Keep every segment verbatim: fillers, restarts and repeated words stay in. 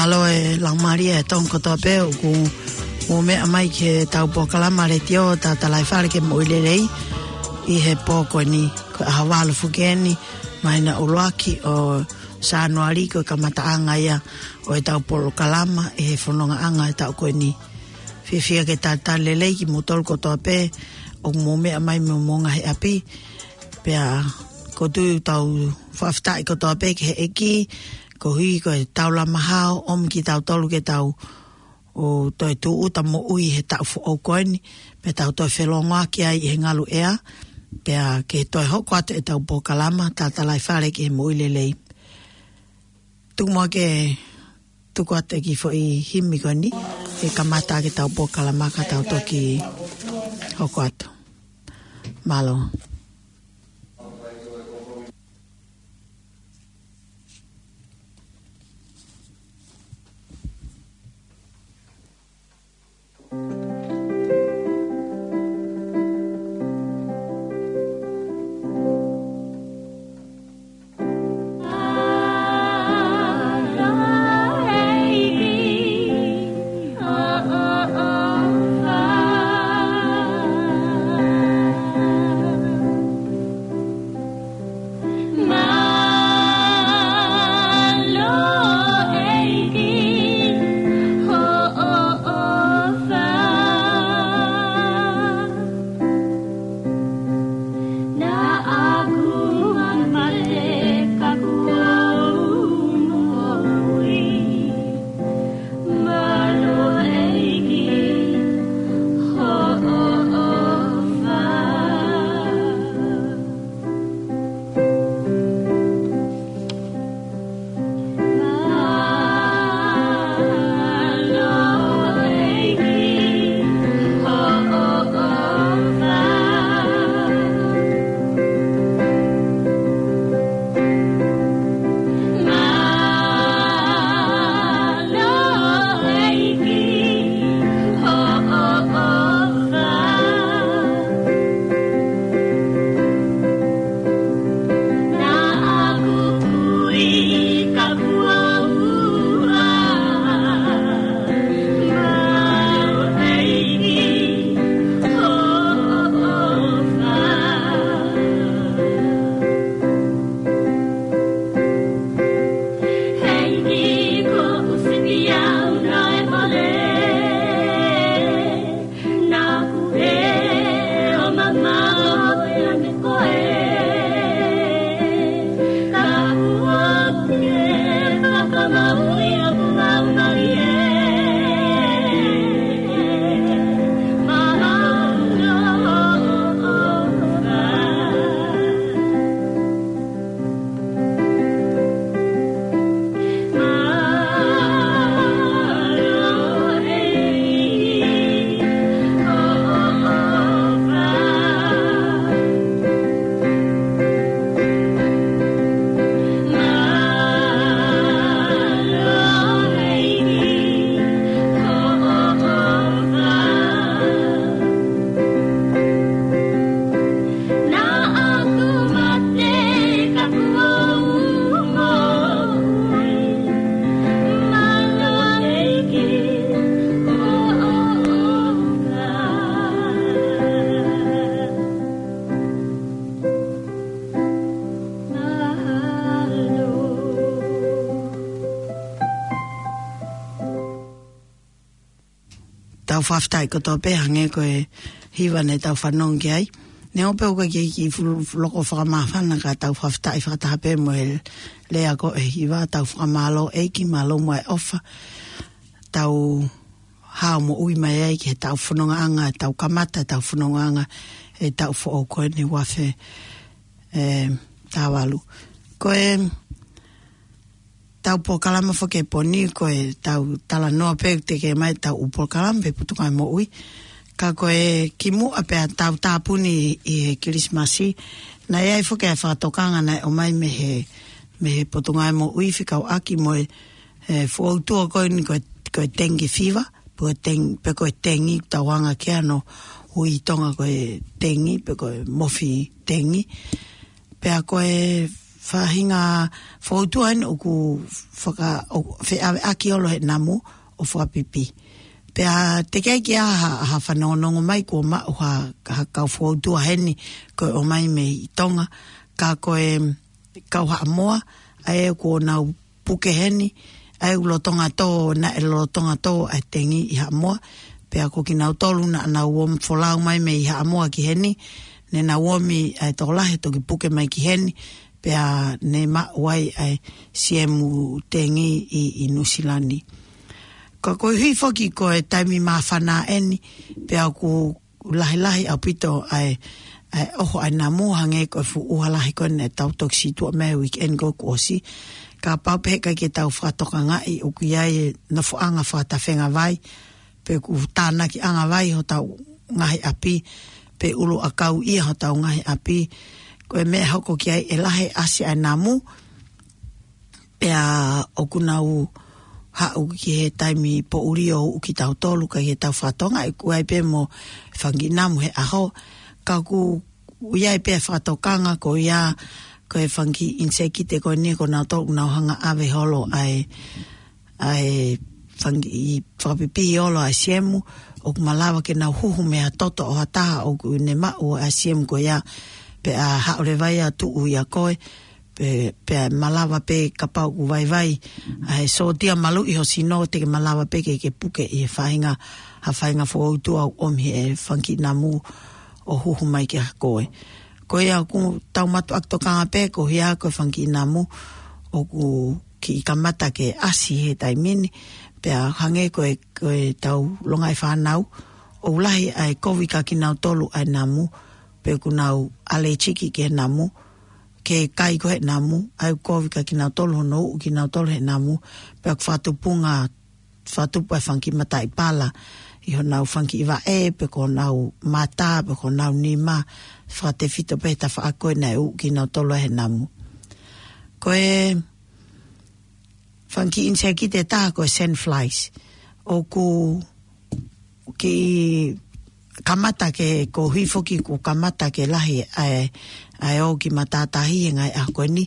Mālō e laumālie ʻa e Tonga kotoa pē ʻoku mou meʻa mai ki heʻetau polokalama letiō Tatalaifale ki he Moʻui Lelei ʻi he pō ko eni, ko e ʻaho valu foki eni, māhina ʻuluaki ʻo Sānuali, ko e kamataʻanga ia ʻo ʻetau polokalama ʻi he fonongaʻanga ʻo e taʻu ko eni. Fiefia ke talitali lelei kimoutolu kotoa pē ʻoku mou meʻa mai mei homou ngaahi ʻapi. Pea ʻoku ou tui ʻoku tau fakafetaʻi kotoa pē ki he ʻEiki, koeʻuhi ko e taulama hao ʻomi kitautolu ke tau ō toe tūʻuta moʻui he taʻu foʻou ko eni, pea tau toe felōngoaki ai ʻi he ngaluʻea, pea ke toe hoko atu ʻetau polokalama Tatalaifale ki he Moʻui Lelei. Tuku muʻa ke tuku atu e kiʻi foʻi himi ko eni, ke kamata ʻaki ʻetau polokalama ka tau toki hoko atu. Mālō. Tau fakafetaʻi kotoa pē hangē ko e hiva naʻa tau fanongo ki ai. Neongo pē ʻoku ʻikai ke kiʻi ful-, loko fakamāfana ka tau fakafetaʻi fakataha pē mo e lea ko e hiva, tau fakamālō ʻEiki, mālō muʻa e ʻofa. Tau hao moʻui mai ai ki heʻetau fonongaʻanga, tau kamata ʻetau fonongaʻanga he taʻu foʻou ko eni ua afe, e, taha valu. Ko e tau polokalama foki he pō ni, ko e tau talanoa pē ʻoku teʻeki mai tau ʻū polokalama pē Potungāue Moʻui. Ka ko e kimuʻa pea tau tāpuni ʻi he Kilisimasi, naʻe ʻi ai foki e fakatokanga naʻe ʻomai mei he, mei he Potungāue Moʻui fekauʻaki mo e, e, fōtua ko eni ko e, ko e dengue fever, pe ko e teng-, pe ko e tengi, tau anga ki ai hono ui ʻi Tonga ko e tengi, pe ko e mofi tengi. Pea ko e faʻahinga foutua ʻeni ʻoku faka-, ʻo feʻaveʻaki holo he namu ʻo fakapipi. Pea teʻeki ai ke ʻi ai ha, ha fanongonongo mai kuo maʻu ha, ha kau foutua heni ko e ʻomai mei Tonga. Ka ko e kau Haʻamoa, ʻa ē kuo nau puke heni, ʻa ē ʻoku lolotonga tō, naʻe lolotonga tō ʻa e tengi ʻi Haʻamoa. Pea ko kinautolu naʻa nau ō folau mai mei Haʻamoa ki heni, ne nau ōmi ʻa e tokolahi toki puke mai ki heni, pea ne maʻu ai ʻa e siemu tengi ʻi, ʻi Nuʻusila ni. Ka koeʻuhi foki ko e taimi māfana ʻeni, pea ʻoku lahilahi ʻaupito ʻa e, ʻa e ʻoho ʻa e namu, hangē ko e fuʻu ʻuha lahi ko eni naʻa tau toki situʻa mei he weekend ko ē kuo ʻosi. Kapau pē he ʻikai ke tau fakatokangaʻi ʻoku ʻi ai e nofoʻanga fakatafengavai, pe ʻoku tānakiʻangavai hotau ngaahi ʻapi, pe ʻuluʻakauʻia hotau ngaahi ʻapi. Ko e meʻa hoko ki ai, ʻe lahi e ʻasi ʻa e namu, pea ʻoku nau haʻu ki he taimi poʻuli ʻo uʻu kitautolu, ʻikai ke tau fakatokangaʻi, ʻoku ʻi ai pē mo e fanga kiʻi namu he ʻaho. Ka ʻoku ʻi ai pē fakatokanga ko ia, ko e fanga kiʻi ʻinisekite ko eni ko nautolu ʻoku nau hanga ʻave holo ʻa e, ʻa e fanga kiʻi fakapipihi holo ʻa e siemu, ʻoku malava ke nau huhu mei ha toto ʻo ha taha ʻoku ne maʻu ʻa e siemu ko ia, pea haʻu leva ia ʻo tuʻu ʻia koe, pe, pea malava pē kapau ʻoku vaivai ʻa e sōtia maluʻi ho sino, te ke malava pē ke, ke puke ʻi he faʻahinga, ha faʻahinga foutua ʻoku ʻomi he fanga kiʻi namu ʻo huhu mai kia koe. Ko ia ʻoku tau mātuʻaki tokanga pē, ko ia ko e fanga kiʻi namu ʻoku kiʻi kamata ke ʻasi he taimi ni, pea hangē ko e, ko e tau longaʻi fānau, ʻoku lahi ʻa e kovi kia kinautolu ʻa e namu, pe ʻoku nau ʻalētiki ki he namu, ke kai ko ē he namu, ʻa e kovi kia kinautolu hono uʻu kinautolu he namu, pea ʻoku fakatupunga, fakatupu ʻa e fanga kiʻi mataʻi pala ʻi honau fanga kiʻi vaʻe, pe ko honau mata, pe ko honau nima, fakatefito pē he tafaʻaki ko ē naʻe uʻu kinautolu ai he namu. Ko e fanga kiʻi ʻinisekite ʻe taha ko e sand flies. ʻOku kiʻi kamata ke, koeʻuhi foki kuo kamata ke lahi ʻa e, ʻa e ō ki matātahi he ngaahi ʻaho ko eni,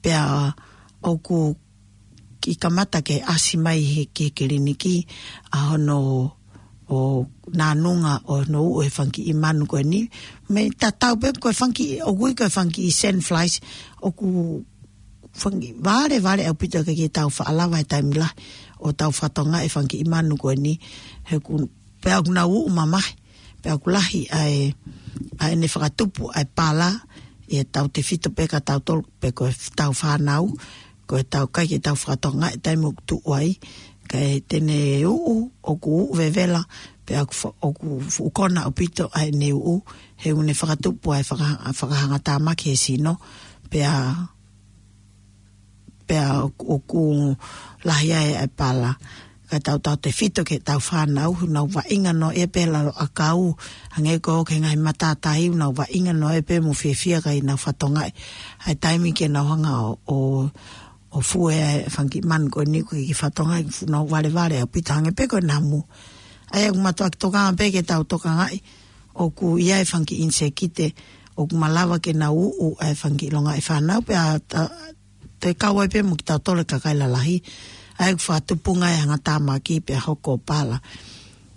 pea ʻoku kiʻi kamata ke ʻasi mai he, ki he kiliniki ʻa hono ʻo nānunga ʻo hono uʻu he fanga kiʻi manu ko eni. Mei tatau pē ko e fanga kiʻi, ʻoku ui ko e fanga kiʻi sand flies, ʻoku fanga kiʻi valevale ʻaupito, ʻikai ke tau faʻa lava he taimi lahi ʻo tau fakatokangaʻi e fanga kiʻi manu ko eni, he ʻoku, pea ʻoku nau uʻu mamahi, pea ʻoku lahi ʻa e, ʻa ʻene fakatupu ʻa e pala, ʻi he tautefito pē kia tautolu, pe ko e tau fānau, ko e tau kai ke tau fakatokangaʻi e taimi ʻoku tuʻu ai, kae te ne uʻu, ʻoku uʻu vevela, pea ʻoku fa-, ʻoku fuʻu kona ʻaupito ʻa ʻene uʻu, he ʻoku ne fakatupu ʻa e faka-, fakahangatāmaki he sino, pea, pea ʻoku, ʻoku lahi ai ʻa e pala. Kae tau tautefito ki he tau fānau, ʻoku nau vaʻinga noaʻia pē he lalo ʻakau, hangē ko e ō ki he ngaahi matātahi, ʻoku nau vaʻinga noaʻia pē mo fiefia kae ʻikai ke nau fakatokangaʻi ʻa e taimi ke nau hanga ʻo, ʻo, ʻo fue ʻa e fanga kiʻi manu ko eni, ʻoku ʻikai ke fakatokangaʻi, ʻoku nau valevale ʻaupito hangē pē ko e namu. ʻA ia ʻoku mātuʻaki tokanga pē ke tau tokangaʻi, ʻoku ʻi ai e fanga kiʻi ʻinisekite ʻoku malava ke nau uʻu ʻa e fanga kiʻi longaʻi fānau, pea ta-, toe kau ai pē mo kitautolu e kakai lalahi, ʻa ia ʻoku fakatupunga e hangatāmaki pea hoko ʻo pala.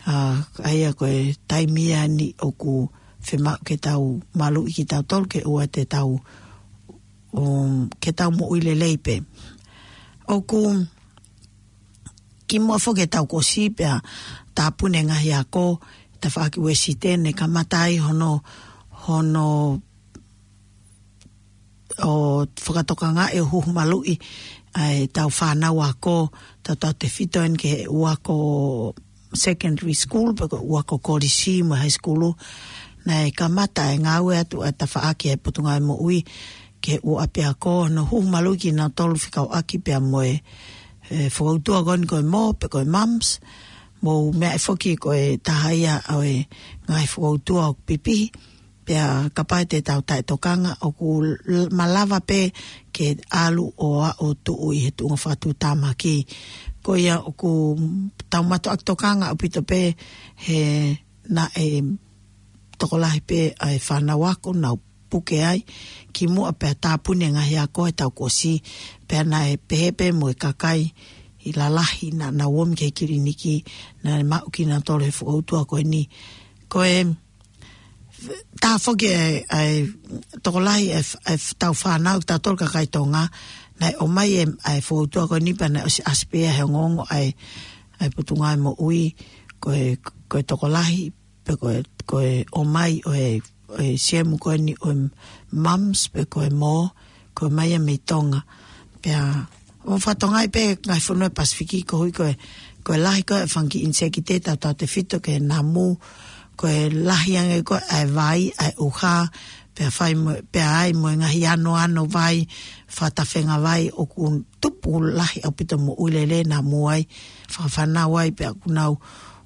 ʻA, ʻa ia ko e taimi ia ʻeni ʻoku fiemaʻu ke tau maluʻi kitautolu ke ʻoua te tau, um, ke tau moʻui lelei pē. ʻOku kimuʻa foki he taʻu kuo ʻosi pea tāpuni e ngaahi ako, tafaʻaki Uēsite, ne kamata ai hono, hono ʻo fakatokangaʻi ʻo huhu maluʻi ʻa e tau fānau ako, tau tautefito ʻeni ki he ʻū ako secondary school, pe ko e ʻū ako kolisi mo e high school. Naʻe kamata e ngāue atu ʻa e tafaʻaki ʻa e Potungāue Moʻui ki he ʻū ʻapiako, hono huhu maluʻi kinautolu fekauʻaki pea mo e, e, fokoutua ko eni ko e mo, pe ko e mums, mo e meʻa foki ko e taha ia ʻo e ngaahi fokoutua ʻoku pipihi, pea kapau te tau taʻetokanga, ʻoku l-, malava pē ke ʻalu ʻo aʻu ʻo tuʻu ʻi he tuʻunga fakatuʻutāmaki. Ko ia ʻoku tau mātuʻaki tokanga ʻaupito pē he naʻe tokolahi pē ʻa e fānau ako ʻoku nau puke ai, kimuʻa pea tāpuni e ngaahi ako ʻe tau kuo ʻosi, pea naʻe pehē pē mo e kakai ʻi lalahi naʻa nau ō mai ki he kiliniki, naʻe maʻu kinautolu he fokoutua ko eni. Ko e, tā foki e, e tokolahi e, e tau fānau, tautolu kakai Tonga, naʻe ʻomai e, e fokoutua ko eni pea naʻe ʻosi ʻasi pē ia he ongoongo ʻa e, e Potungāue Moʻui, ko e, ko e tokolahi, pe ko e, ko e ʻomai ʻo e, ʻo e siemu ko eni ʻo e mumps pe ko e mō, ko e ʻomai ia mei Tonga. Pea, ʻo fakatokangaʻi pē ngaahi fonua Pasifiki koeʻuhi ko e, ko e lahi ko e fanga kiʻi ʻinisēkiti tautautefito ki he namu, ko e lahi ange ko e ʻa e vai, ʻa e ʻuha, pea fai mo, pea ʻai mo e ngaahi anoano vai, fakatafenga vai, ʻoku tupu lahi ʻaupito moʻui lelei namu ai, fakafānau ai, pea ʻoku nau,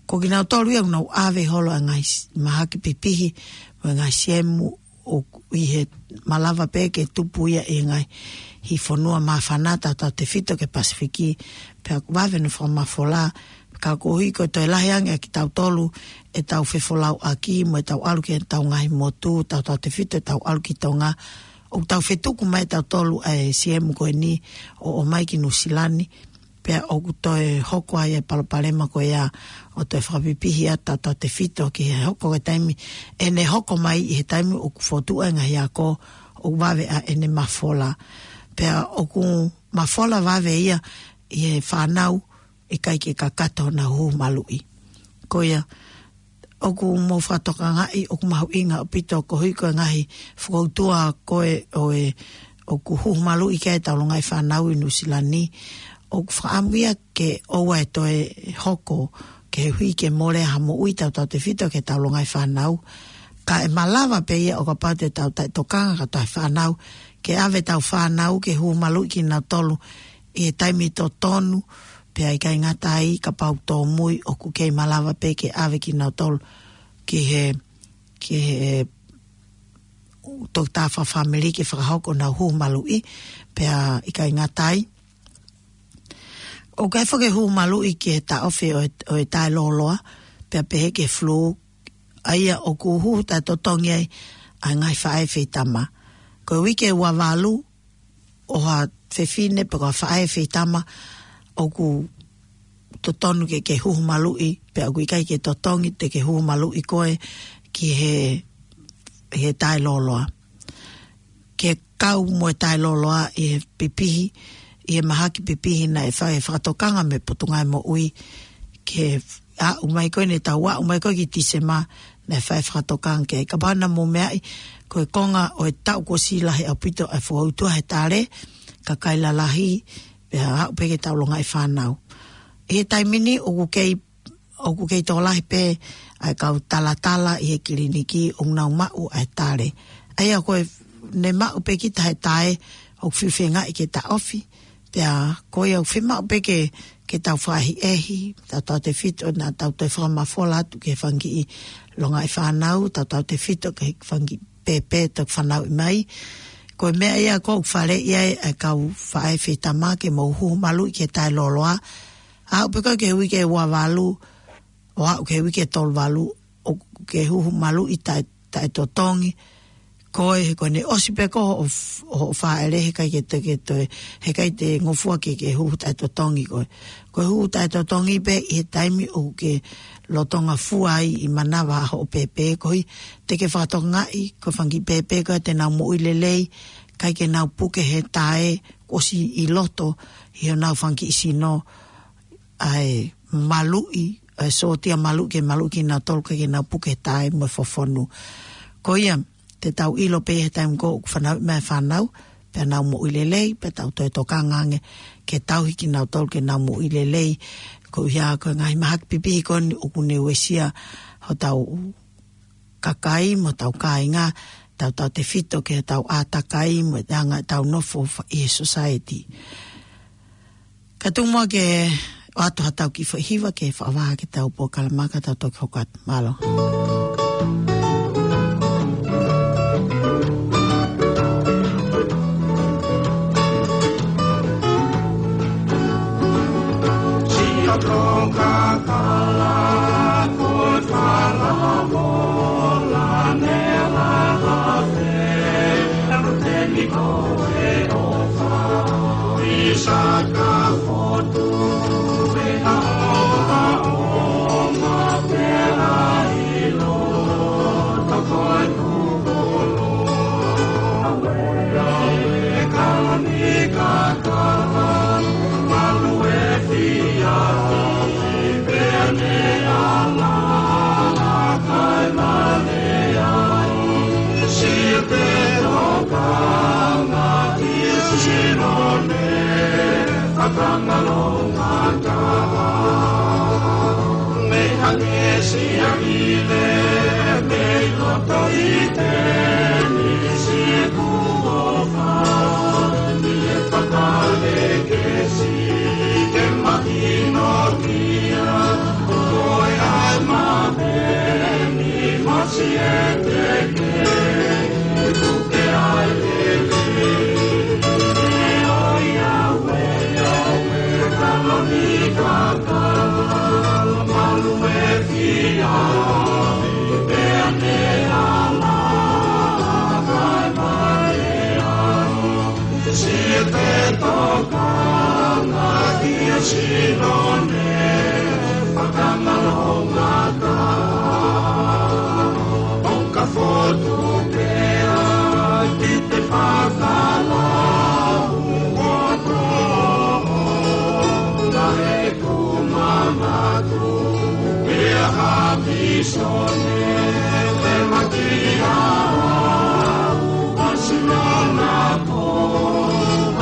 ko kinautolu ia ʻoku nau ʻave holo ʻa e ngaahi s-, mahaki pipihi, mo e ngaahi siemu, ʻoku ʻi he malava pē ke tupu ia ʻi he ngaahi fonua māfana tautautefito ki he Pasifiki, pea ʻoku vave hono fakamafola, ka koeʻuhi ko e toe lahi ange ʻa kitautolu ʻetau fefolauʻaki, mo ʻetau ʻalu ki heʻetau ngaahi motu, tautautefito ʻetau ʻalu ki Tonga, ʻoku tau fetuku mai ʻe tautolu ʻa e siemu ko eni ʻo ʻomai ki Nuʻusila ni, pea ʻoku toe hoko ai e palopalema ko ia ʻo toe fakapipihi ʻa tautautefito ki he hoko ko e taimi, ʻene hoko mai ʻi he taimi ʻoku fokotuʻu ai e ngaahi ako, ʻoku vave ʻa ʻene mafola. Pea ʻoku mafola vave ia ʻi he fānau ʻikai ke kakato honau huhu maluʻi. Ko ia, ʻoku mou fakatokangaʻi, ʻoku mahuʻinga ʻaupito koeʻuhi ko e ngaahi fokoutua ko ē ʻo e, ʻoku huhu maluʻi ki ai ʻetau longaʻi fānau ʻi Nuʻusila ni. ʻOku fakaʻamu ia ke ʻoua ʻe toe hoko, koeʻuhi ke mole ha moʻui tautautefito ki heʻetau longaʻi fānau. Ka ʻe malava pē ia ʻo kapau te tau taʻetokanga kātoa he fānau, ke ʻave ʻetau fānau ke huhu maluʻi kinautolu ʻi he taimi totonu, pea ʻikai ngata ai kapau tōmui ʻoku kei malava pē ke ʻave kinautolu ki he, ki he toketā fakafāmili ke fakahoko honau huhu maluʻi, pea ʻikai ngata ai. ʻOku ʻi ai foki e huhu maluʻi ki he taʻofi ʻo e, ʻo e taʻelōloa, pea pehē ki he flu, ʻa ia ʻoku huhu taʻetotongi ai ʻa e ngaahi faʻē feitama. Ko e uike ua valu, ʻo ha fefine pe ko ha faʻē feitama ʻoku totonu ke, ke huhu maluʻi, pea ʻoku ʻikai ke totongi te ke huhu maluʻi koe ki he, he taʻelōloa. Ke kau mo e taʻelōloa ʻi he pipihi, ʻi he mahaki pipihi naʻe fai e fakatokanga mei he Potungāue Moʻui, ke aʻu mai ko ē, naʻe tau aʻu mai ko ē ki Tīsema, naʻe fai e fakatokanga ki ai. Kapau naʻa mou meaʻi, ko e konga ʻo e taʻu kuo ʻosi lahi ʻaupito ʻa e fokoutua he tale, kakai lalahi, pea aʻu pē ki heʻetau longaʻi fānau. ʻI he taimi ni ʻoku kei, ʻoku kei tokolahi pē ʻa e kau talatala ʻi he kiliniki ʻoku nau maʻu ʻa e tale. ʻA ia ko e, ne maʻu pē kita he tae, ʻoku fiu feingaʻi ke taʻofi, pea ko ia ʻoku fiemaʻu pē ke, ke tau fakaʻehiʻehi, tautautefito naʻa tau toe fakamafola atu ki he fanga kiʻi longaʻi fānau, tautautefito ki he fanga kiʻi pēpē toki fanauʻi mai. Ko e meʻa ia ʻoku faleʻi ai ʻa e kau faʻē feitama ke mou huhu maluʻi ki he taʻelōloa. Aʻu pē ko ē ki he uike ua valu, ʻo aʻu ki he uike tolu valu, ʻoku ke huhu maluʻi taʻe, taʻetotongi. Ko e, he ko ʻene ʻosi pē ko ē hoʻo f-, hoʻo fāʻele, heʻikai ke te, ke toe, heʻikai te ngofua ke, ke huhu taʻetotongi koe. Ko e huhu taʻetotongi pē ʻi he taimi ʻoku ke lolotonga fua ai ʻi manava hoʻo pēpē, koeʻuhi te ke fakatokangaʻi, ko e fanga kiʻi pēpē ko ē te nau moʻui lelei, ʻikai ke nau puke he tae, ʻosi ʻi loto ʻi honau fanga kiʻi sino, ʻa e maluʻi, ʻa e sōtia maluʻi, ke maluʻi kinautolu, ʻikai ke nau puke he tae mo e fofonu. Ko ia, te tau ʻilo pē he taimi ko ē ʻoku fanauʻi mai e fānau, pea nau moʻui lelei, pea tau toe tokanga ange ke tauhi kinautolu ke nau moʻui lelei. Koeʻuhi ko e ngaahi mahaki pipihi ko eni ʻoku ne uesia hotau kakai mo hotau kāinga, tautautefito ki heʻetau ʻātakai mo e anga ʻetau nofo fa-, ʻi he society. Ka tuku muʻa ke ʻoatu haʻatau kiʻi foʻi hiva ke fakavaha ki heʻetau polokalama ka tau toki hoko atu. Mālō. Saka fotu e aoa o ma pela ilo toko e kukolo. Awe, awe, kalani kaka, malu e fia, i pea ne ala, kai male ai, si te tokanga ki Sinone, fakangalongata. Mei hangē sia ile, mei loto i te ni si kuo fa, ni e fakalekesi, ke mahino kia, ko e ai ma peni, masi e te ke, i puke ai lele. Ka fotu pea ki te fakalau o tō, naʻe kumamatu pea ha pisone, te maki au, a sinana ko,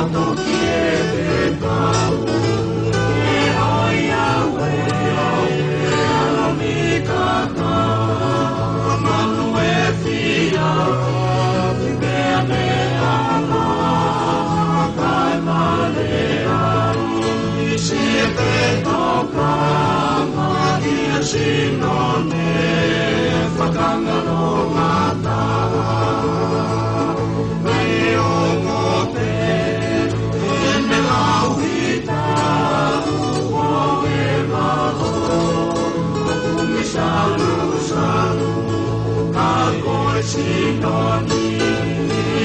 a toki e te tau, e ai au e au, e alo mi kata, manu e fia, ki pea me ala, kai male ai, si e te tokanga, ki a Sinone, fakangalongata. Mei o mote, e me lau hita, ua e maho, kumi salu salu, ka ko e Sinone,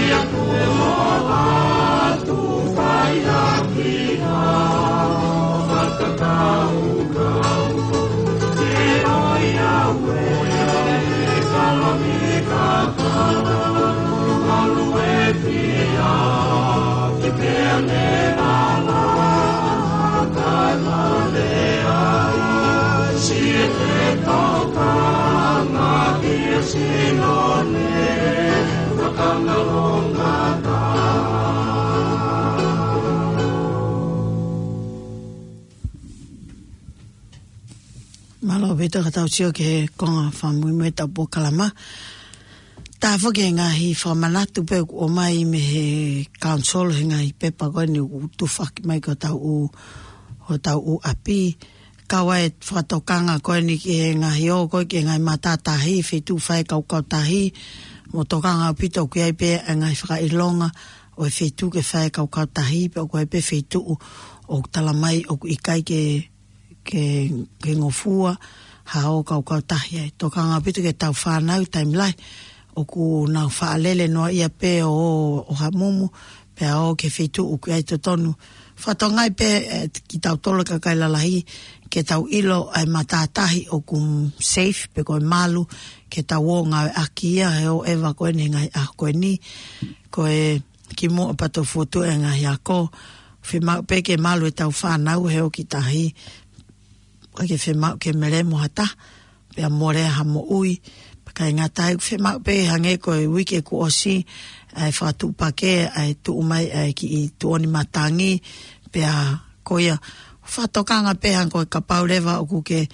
ia ku o atu fai aki ha, fakakaukau. Mālō ʻaupito ka tau sio ki he konga fakamuimui ʻetau polokalama. Tā foki e ngaahi fakamanatu pē ʻoku ʻomai mei he council he ngaahi pepa ko eni ʻoku tufaki mai ki hotau ʻū, hotau ʻū ʻapi. Kau ai e fakatokanga ko eni ki he ngaahi ō ko ē ki he ngaahi matātahi, feituʻu fai e kaukautahi, mo tokanga ʻaupito ʻoku ʻi ai pē e ngaahi fakaʻilonga ʻo e feituʻu ke fai e kaukautahi, pea ʻoku ʻi ai pē feituʻu ʻoku tala mai ʻoku ʻikai ke ke, ke ngofua ha ō kaukautahi ai. Tokanga ʻaupito ki heʻetau fānau taimi lahi ʻoku nau faʻa lele noaʻia pē ʻo, ʻo hamumu, pea ō ki he feituʻu ʻoku ʻi ai totonu. Fakatokangaʻi pē, ē, kitautolu kakai lalahi, ke tau ʻilo ʻa e matātahi ʻoku safe, pe ko e malu, ke tau ō ngāueʻaki ia he ō ʻeva ko eni he ngaahi ʻaho ko eni, ko e kimuʻa pea toki fotu e ngaahi ako, fiemaʻu pē ke malu ʻetau fānau he ō ki tahi, ʻikai ke fiemaʻu ke melemo ha taha, pea molea ha moʻui, pea ʻikai ngata ai, fiemaʻu pē hangē ko e uike kuo ʻosi, ʻa e fakatuʻupakē, ʻa e tuʻu mai, ʻa e kiʻi tuʻoni matangi, pea ko ia, fakatokanga pē hangē ko e kapau leva ʻoku ke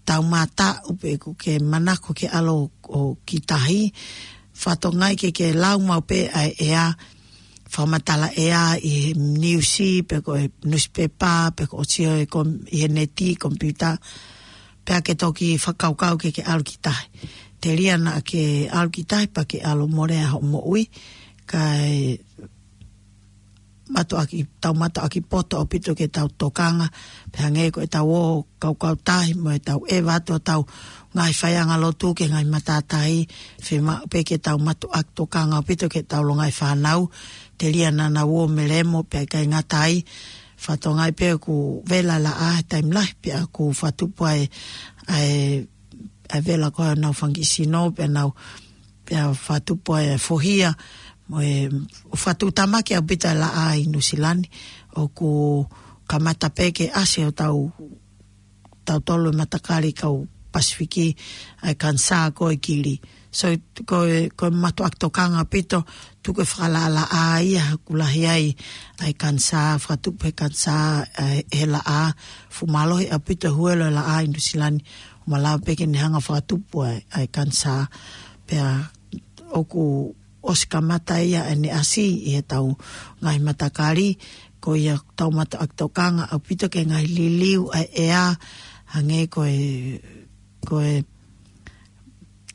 taumātaʻu pe ʻoku ke manako ke ʻalu ʻo ki tahi, fakatokangaʻi ke ke lau maʻu pē ʻa e ʻea, fakamatala ʻea ʻi he niusi, pe ko e nusipepa, pe ko e sio ʻi he kom-, ʻi he neti, komipiuta, pea ke toki fakakaukau ke ke ʻalu ki tahi. Telia naʻa ke ʻalu ki tahi, pea ke ʻalu molea hoʻo moʻui, kae mātuʻaki, tau mātuʻaki poto ʻaupito ke tau tokanga, pea hangē ko ʻetau ō kaukautahi mo ʻetau ʻeva atu hotau ngaahi faiʻanga lotu ki he ngaahi matātahi, fiemaʻu pē ke tau mātuʻaki tokanga ʻaupito ki heʻetau longaʻi fānau, telia naʻa nau ō melemo, pea ʻikai ngata ai, Fakatokangaʻi pē ʻoku vela laʻā he taimi lahi, pea ʻoku fakatupu ai ʻa e, ʻa e vela ko ē ʻenau fanga kiʻi sino, pea nau, pea fakatupu ai ʻa e fohia, mo e fakatuʻutāmaki ʻaupito e laʻā ʻi Nuʻusila ni, ʻoku kamata pē ke ʻasi ʻo tau, tautolu e matakali kau Pasifiki, ʻa e kanisā ko ē kili. So, ko e, ko e mātuʻaki tokanga ʻaupito, tuku e fakalaʻalaʻā ia, ʻoku lahi ai ʻa e kanisā, fakatupu he kanisā, ʻa e, he laʻā, fuʻu mālohi ʻaupito e huelo e laʻā ʻi Nuʻusila ni, ʻo malava pē ke ne hanga fakatupu ʻa e, ʻa e kanisā. Pea ʻoku ʻosi kamata ia ʻene ʻasi ʻi heʻetau ngaahi matakali, ko ia ʻoku tau mātuʻaki tokanga ʻaupito ki he ngaahi liliu ʻa e ʻea, hangē ko e, ko e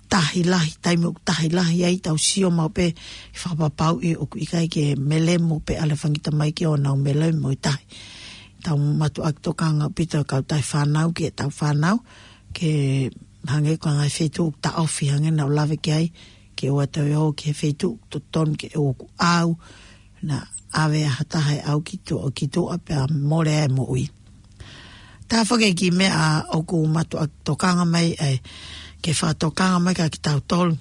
tahi lahi, taimi ʻoku tahi lahi ai, tau sio maʻu pē ke fakapapauʻi ʻoku ʻikai ke melemo pē ʻa e elefani tamaiki ʻo nau melemo e tahi. Tau mātuʻaki tokanga ʻaupito e kautaha fānau ki heʻetau fānau, ke hangē ko e ngaahi feituʻu ʻoku taʻofi hangē naʻa ku lave ki ai, ke ʻoua toe ō ki he feituʻu ʻoku totonu ke ō ʻoku ʻau, naʻa ʻave ʻa ha taha ʻe ʻau ki tuʻa, ki tuʻa pea mole ai e moʻui. Taha foki e kiʻi meʻa ʻoku mātuʻaki tokanga mai ai, ke fakatokanga mai kia kitautolu.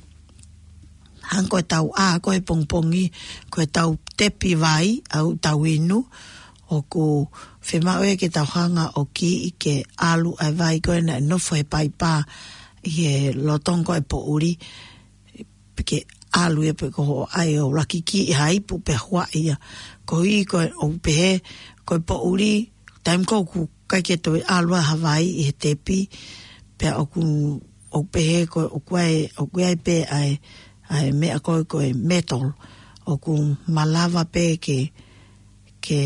Hangē ko ʻetau ʻā ko ē he pongipongi, ko ʻetau tepi vai, ʻa ʻetau inu, ʻoku fiemaʻu ia ke tau hanga ʻo kiʻi ke ʻalu ʻa e vai ko ē naʻe nofo he paipa ʻi he lolotonga ko ē e poʻuli, pe ke ʻalu ia pe ko hoʻo ʻai ʻo laki kiʻi ha ipu pea huaʻi ia. Koeʻuhi ko e ʻoku pehē, ko e poʻuli, taimi ko ē ʻoku ʻikai ke toe ʻalu ai ha vai ʻi he tepi, pea ʻoku, ʻoku pehē ko e, ʻoku ʻi ai, ʻoku ʻi ai pē ʻa e, ʻa e meʻa ko ē ko e metal, ʻoku malava pē ke, ke,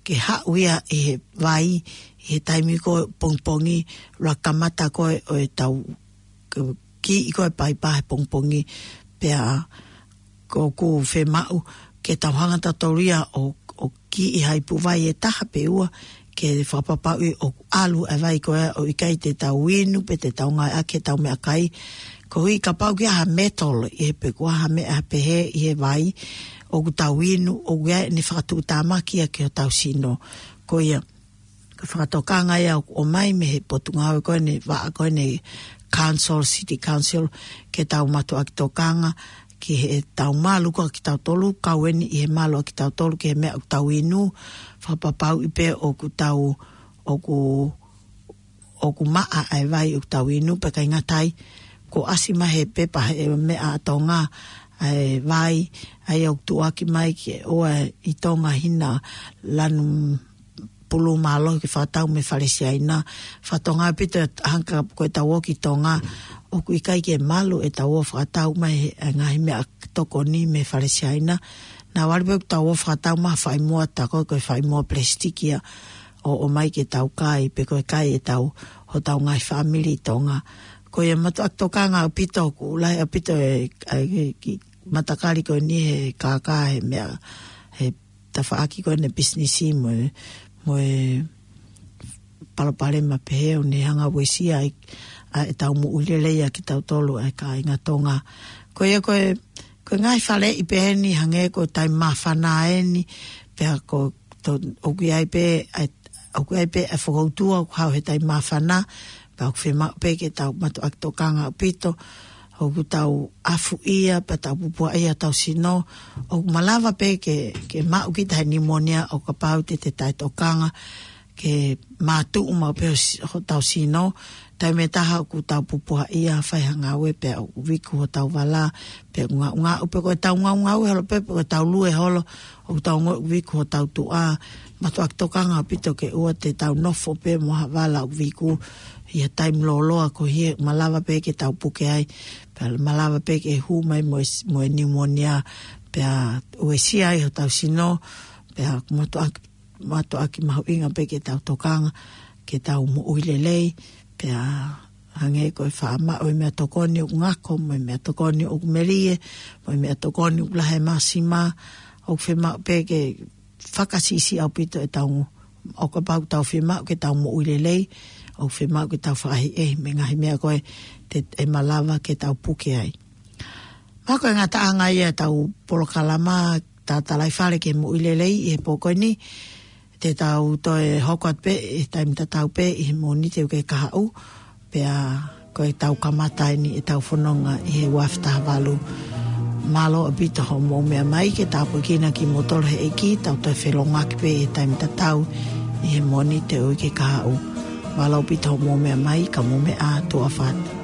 ke haʻu ia ʻi he vai, ʻi he taimi ko ē pongipongi, ʻuluaki kamata ko ē ʻo ʻetau, ke kiʻi ko ē e paipa he pongipongi, pea ʻoku fiemaʻu ke tau hanga tautolu ia ʻo, ʻo kiʻi ha ipu vai ʻe taha pe ua, ke fakapapauʻi ʻoku ʻalu e vai ko ē ʻo ʻikai te tau inu pe te tau ngāueʻaki ʻetau meʻakai. Koeʻuhi kapau ʻoku ʻi ai ha metal ʻi he pe ko ha meʻa pehē ʻi he vai ʻoku tau inu, ʻoku ʻi ai ʻene fakatuʻutāmaki ia ki hotau sino. Ko ia, ko e fakatokanga ia ʻoku ʻomai mei he potungāue ko eni, vaʻa ko eni Council, City Council, ke tau mātuʻaki tokanga ki heʻetau malu ko ē kitautolu, kau eni ʻi he malu ʻa kitautolu ki he meʻa ʻoku tau inu, fakapapauʻi pē ʻoku tau, ʻoku, ʻoku maʻa ʻa e vai ʻoku tau inu, pea ʻikai ngata ai, kuo ʻasi mai he pepa he meʻa ʻa Tonga, ʻa e vai, ʻa ia ʻoku tuʻuaki mai ke ʻoua ʻe tonga hina lanu pulu mālohi ke fakatau mei Fale Siaina. Fakatokanga ʻaupito hangē ko ʻetau ō ki Tonga, ʻoku ʻikai ke malu ʻetau ō fakatau mai he, ʻa e ngaahi meʻatokoni mei Fale Siaina. Naʻa ʻalu pē ʻetau ō fakatau mai ha faʻimoa, tā ko ē ko e faʻimoa palesitiki ia, ʻo, ʻomai ke tau kai, pe ko e kai ʻetau, hotau ngaahi fāmili ʻi Tonga. Ko ia mātuʻaki tokanga ʻaupito, ʻoku lahi ʻaupito e, ʻa e, ki, matakali ko eni he kākā, he meʻa, he tafaʻaki ko eni e pisinisi mo e, mo e palopalema pehē ʻoku ne hanga ʻo uesia ai ʻa ʻetau moʻui lelei ʻa kitautolu ʻa e kāinga Tonga. Ko ia ko e, ko e ngaahi faleʻi pehē ni hangē ko e taimi māfana eni, pea ko to, ʻoku ʻi ai pē, ʻa e, ʻoku ʻi ai pē ʻa e fokoutua ʻoku haʻu he taimi māfana, pea ʻoku fiemaʻu pē ke tau mātuʻaki tokanga ʻaupito, ʻoku tau ʻafuʻia, pea tau pupuaʻia hotau sino, ʻoku malava pē ke, ke maʻu kita he niumonia ʻo kapau te te taʻetokanga, ke mātuʻu maʻu pē ho si-, hotau sino, taimi ʻe taha ʻoku tau pupuaʻia, fai ha ngāue pea ʻoku viku hotau vala, pea ʻoku ngaʻungaʻu pē ko ʻetau ngaʻungaʻu holo pē, pe ko ʻetau lue holo, ʻoku tau ongoʻi ʻoku viku hotau tuʻa, mātuʻaki tokanga ʻaupito ke ʻoua te tau nofo pē mo ha vala ʻoku viku ʻi ha taimi lōloa koeʻuhi he malava pē ke tau puke ai, pea malava pē ke hū mai mo e s-, mo e niumonia, pea uesia ai hotau sino, pea mātuʻaki, mātuʻaki mahuʻinga pē ke tau tokanga, ke tau moʻui lelei, pea hangē ko e faʻa maʻu e meʻatokoni ʻoku ngako, mo e meʻatokoni ʻoku melie, mo e meʻatokoni ʻoku lahi e māsima, ʻoku fiemaʻu pē ke fakasiʻisiʻi ʻaupito ʻetau, ʻo kapau ʻoku tau fiemaʻu ke tau moʻui lelei, ʻoku fiemaʻu ke tau fakaʻehiʻehi mei he ngaahi meʻa ko ē te, ʻe malava ke tau puke ai. Mahalo ko e ngataʻanga ia ʻetau polokalama Tatalaifale ki he Moʻui Lelei ʻi he pō ko eni. Te tau toe hoko atu pē ʻi he taimi tatau pē ʻi he Mōnite ʻo e uike kahaʻu, pea ko ʻetau kamata eni ʻetau fononga ʻi he ua afe taha valu. Mālō ʻaupito hoʻomou meʻa mai, ke tāpuekina kimoutolu ʻe he ʻEiki, tau toe felōngoaki pē ʻi he taimi tatau ʻi he Mōnite ʻo e uike kahaʻu. Mālō ʻaupito hoʻomou meʻa mai, ka mou meʻa ā, tuʻa ʻofa atu.